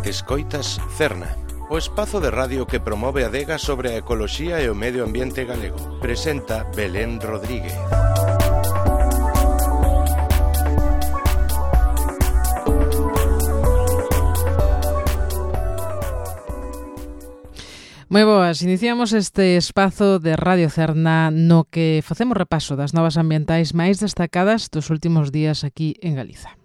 Escoitas Cerna, o espazo de radio que promove a adega sobre a ecoloxía e o medio ambiente galego. Presenta Belén Rodríguez. Moi boas, iniciamos este espazo de Radio Cerna no que facemos repaso das novas ambientais máis destacadas dos últimos días aquí en Galiza.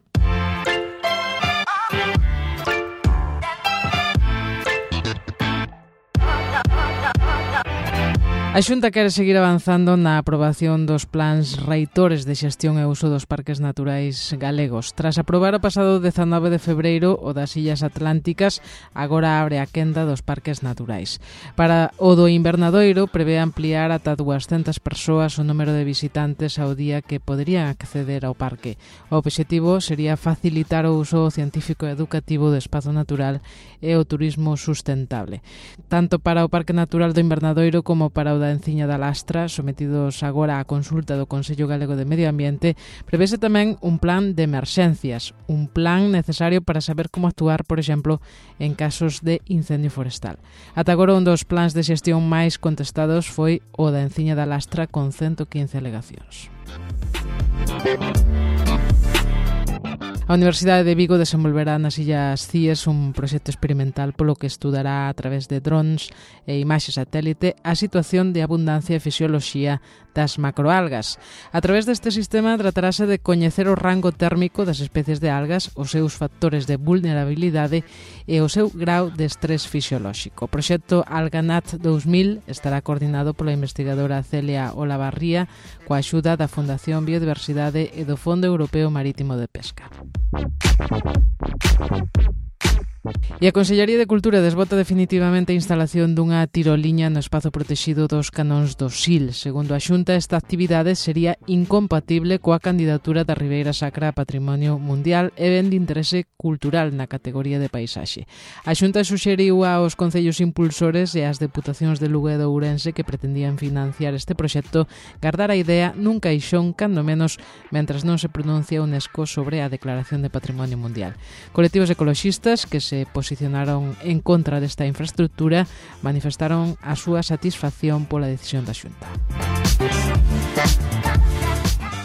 A Xunta quere seguir avanzando na aprobación dos plans reitores de xestión e uso dos parques naturais galegos. Tras aprobar o pasado 19 de febreiro o das Illas Atlánticas, agora abre a quenda dos parques naturais. Para o do Invernadoiro, prevé ampliar ata 200 persoas o número de visitantes ao día que poderían acceder ao parque. O obxectivo sería facilitar o uso científico e educativo do espazo natural e o turismo sustentable. Tanto para o Parque Natural do Invernadoiro como para o da Enciña da Lastra, sometidos agora á consulta do Consello Galego de Medio Ambiente, prevese tamén un plan de emerxencias, un plan necesario para saber como actuar, por exemplo, en casos de incendio forestal. Ata agora un dos plans de xestión máis contestados foi o da Enciña da Lastra con 115 alegacións. A Universidade de Vigo desenvolverá nas Illas Cíes un proxecto experimental polo que estudará a través de drones e imaxe satélite a situación de abundancia e fisioloxía das macroalgas. A través deste sistema tratarase de coñecer o rango térmico das especies de algas, os seus factores de vulnerabilidade e o seu grau de estrés fisiolóxico. O proxecto AlgaNat 2000 estará coordinado pola investigadora Celia Olavarría coa axuda da Fundación Biodiversidade e do Fondo Europeo Marítimo de Pesca. E a Consellería de Cultura desbota definitivamente a instalación dunha tiroliña no espazo protexido dos Canóns do Sil. Segundo a Xunta, esta actividade sería incompatible coa candidatura da Ribeira Sacra a Patrimonio Mundial e ben de interese cultural na categoría de paisaxe. A Xunta suxeriu aos concellos impulsores e ás deputacións de Lugo e de Ourense que pretendían financiar este proxecto gardar a idea nun caixón cando menos mentras non se pronuncia a UNESCO sobre a Declaración de Patrimonio Mundial. Colectivos ecoloxistas que se posicionaron en contra desta infraestructura manifestaron a súa satisfacción pola decisión da Xunta.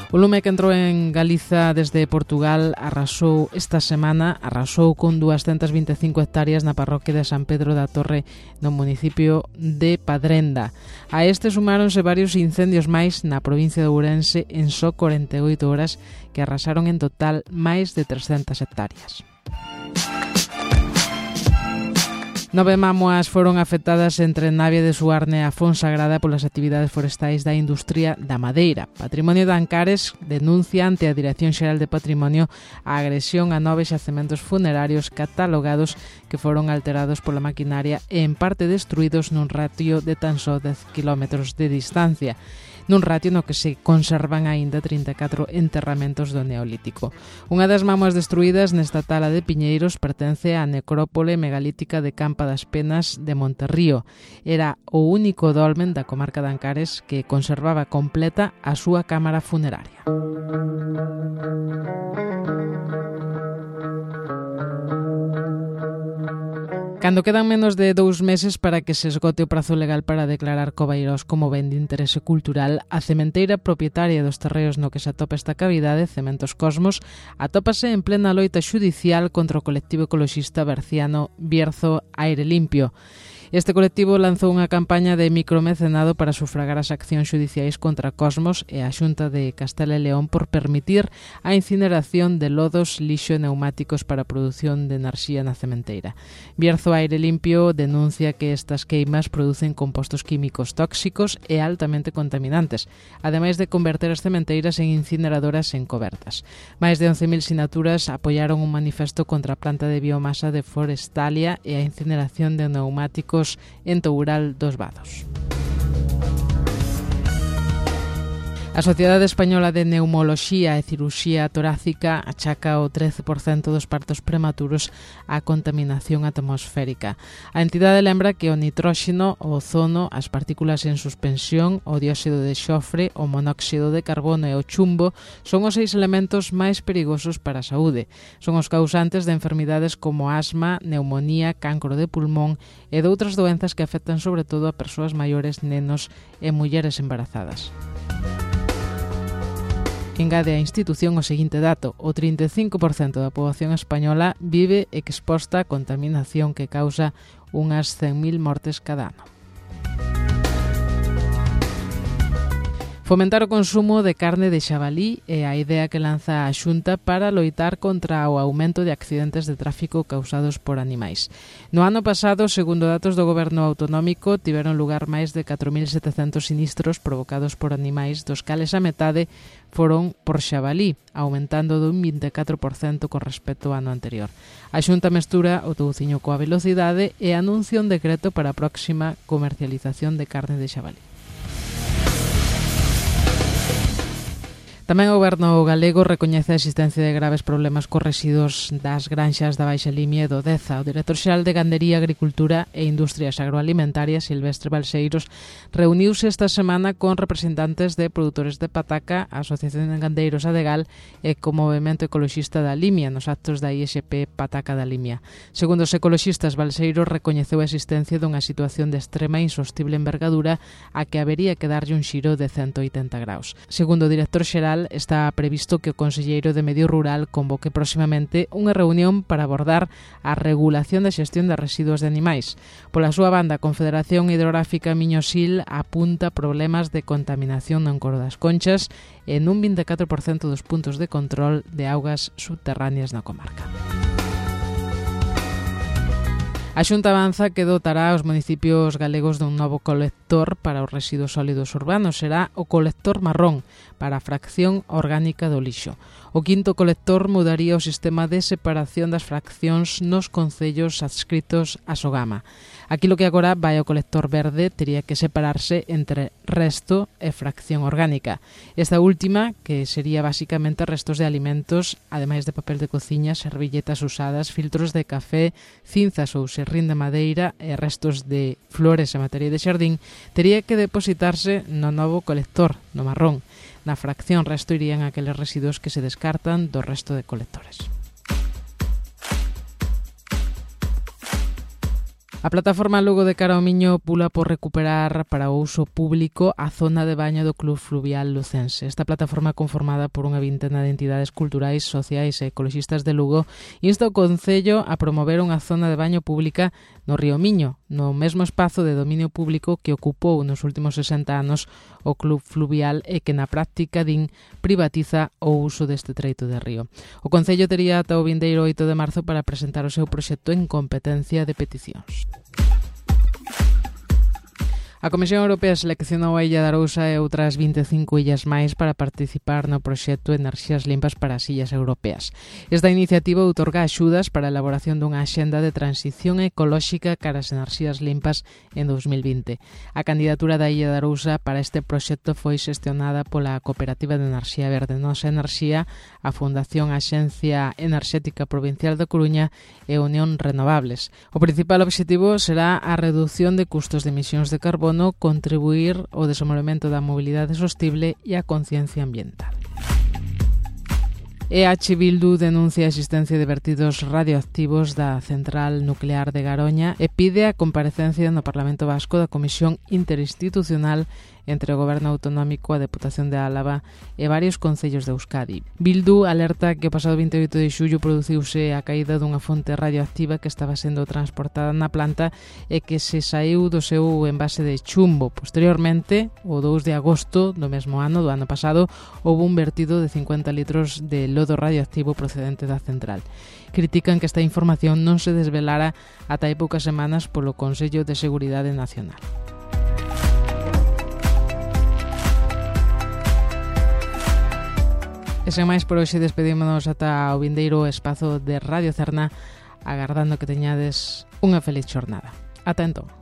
O lume que entrou en Galiza desde Portugal arrasou esta semana, con 225 hectáreas na parroquia de San Pedro da Torre no municipio de Padrenda. A este sumáronse varios incendios máis na provincia de Ourense en só 48 horas que arrasaron en total máis de 300 hectáreas. 9 mámoas foron afectadas entre Navia de Suarne e a Fonsagrada polas actividades forestais da industria da madeira. Patrimonio de Ancares denuncia ante a Dirección Xeral de Patrimonio a agresión a 9 xacementos funerarios catalogados que foron alterados pola maquinaria e en parte destruídos nun ratio de tan só 10 km de distancia, nun ratio no que se conservan aínda 34 enterramentos do Neolítico. Unha das mámoas destruídas nesta tala de Piñeiros pertence á necrópole megalítica de Campa das Penas de Monterrío. Era o único dolmen da comarca de Ancares que conservaba completa a súa cámara funeraria. Cando quedan menos de 2 meses para que se esgote o prazo legal para declarar Coveiros como ben de interese cultural, a cementeira propietaria dos terreos no que se atopa esta cavidade, Cementos Cosmos, atópase en plena loita xudicial contra o colectivo ecoloxista berciano Bierzo Aire Limpio. Este colectivo lanzou unha campaña de micromecenado para sufragar as accións xudiciais contra Cosmos e a Xunta de Castela e León por permitir a incineración de lodos, lixo e neumáticos para a produción de enerxía na cementeira. Bierzo Aire Limpio denuncia que estas queimas producen compostos químicos tóxicos e altamente contaminantes, ademais de converter as cementeiras en incineradoras encobertas. Máis de 11.000 sinaturas apoiaron un manifesto contra a planta de biomasa de Forestalia e a incineración de neumáticos en Toural dos Vados. A Sociedade Española de Neumoloxía e Cirurxía Torácica achaca o 13% dos partos prematuros á contaminación atmosférica. A entidade lembra que o nitróxeno, o ozono, as partículas en suspensión, o dióxido de xofre, o monóxido de carbono e o chumbo son os 6 elementos máis perigosos para a saúde. Son os causantes de enfermidades como asma, neumonía, cancro de pulmón e de outras doenzas que afectan sobre todo a persoas maiores, nenos e mulleres embarazadas. Engade a institución o seguinte dato: o 35% da poboación española vive exposta á contaminación que causa unhas 100.000 mortes cada ano. Fomentar o consumo de carne de xabalí é a idea que lanza a Xunta para loitar contra o aumento de accidentes de tráfico causados por animais. No ano pasado, segundo datos do Goberno autonómico, tiveron lugar máis de 4.700 sinistros provocados por animais, dos cales a metade foron por xabalí, aumentando dun 24% con respecto ao ano anterior. A Xunta mestura o touciño coa velocidade e anuncia un decreto para a próxima comercialización de carne de xabalí. Tamén o Goberno galego recoñece a existencia de graves problemas cos residuos das granxas da Baixa Limia e do Deza. O director xeral de Gandería, Agricultura e Industrias Agroalimentarias, Silvestre Balseiros, reuniuse esta semana con representantes de produtores de pataca, a Asociación de Gandeiros Adegal e co Movemento Ecoloxista da Limia nos actos da ISP Pataca da Limia. Segundo os ecoloxistas, Balseiros recoñeceu a existencia dunha situación de extrema e insostible envergadura a que habería que darlle un xiro de 180 graus. Segundo o director xeral, está previsto que o Conselleiro de Medio Rural convoque próximamente unha reunión para abordar a regulación da xestión de residuos de animais. Pola súa banda, a Confederación Hidrográfica Miño-Sil apunta problemas de contaminación no encoro das Conchas e nun 24% dos puntos de control de augas subterráneas na comarca. A Xunta avanza que dotará aos municipios galegos dun novo colector para os residuos sólidos urbanos. Será o colector marrón para a fracción orgánica do lixo. O quinto colector mudaría o sistema de separación das fraccións nos concellos adscritos a Sogama. Aquilo que agora vai ao colector verde tería que separarse entre resto e fracción orgánica. Esta última, que sería basicamente restos de alimentos, ademais de papel de cociña, servilletas usadas, filtros de café, cinzas ou serrín de madeira e restos de flores e materia de xardín, tería que depositarse no novo colector, no marrón. Na fracción resto irían aqueles residuos que se descartan do resto de colectores. A plataforma Lugo de Cara ao Miño pula por recuperar para o uso público a zona de baño do Club Fluvial Lucense. Esta plataforma, conformada por unha vintena de entidades culturais, sociais e ecoloxistas de Lugo, insta o Concello a promover unha zona de baño pública no río Miño, no mesmo espazo de dominio público que ocupou nos últimos 60 anos o Club Fluvial e que na práctica, din, privatiza o uso deste treito de río. O Concello tería ata o vindeiro 8 de marzo para presentar o seu proxecto en competencia de peticións. A Comisión Europea seleccionou a Illa de Arousa e outras 25 illas máis para participar no proxecto Enerxías Limpas para as Illas Europeas. Esta iniciativa outorga axudas para a elaboración dunha axenda de transición ecolóxica cara ás enerxías limpas en 2020. A candidatura da Illa de Arousa para este proxecto foi xestionada pola Cooperativa de Enerxía Verde Nosa Enerxía, a Fundación Axencia Enerxética Provincial da Coruña e Unión Renovables. O principal objetivo será a reducción de custos de emisións de carbono, contribuir ao desenvolvemento da mobilidade sostible e a conciencia ambiental. EH Bildu denuncia a existencia de vertidos radioactivos da central nuclear de Garoña e pide a comparecencia no Parlamento Vasco da Comisión Interinstitucional entre o Goberno Autonómico, a Deputación de Álava e varios concellos de Euskadi. Bildu alerta que o pasado 28 de xullo produciuse a caída dunha fonte radioactiva que estaba sendo transportada na planta e que se saiu do seu envase de chumbo. Posteriormente, o 2 de agosto do mesmo ano, do ano pasado, houve un vertido de 50 litros de lodo radioactivo procedente da central. Critican que esta información non se desvelara ata hai poucas semanas polo Consello de Seguridade Nacional. E sen máis por hoxe despedímonos ata o vindeiro espazo de Radio Cerna, agardando que teñades unha feliz xornada. Ata entón.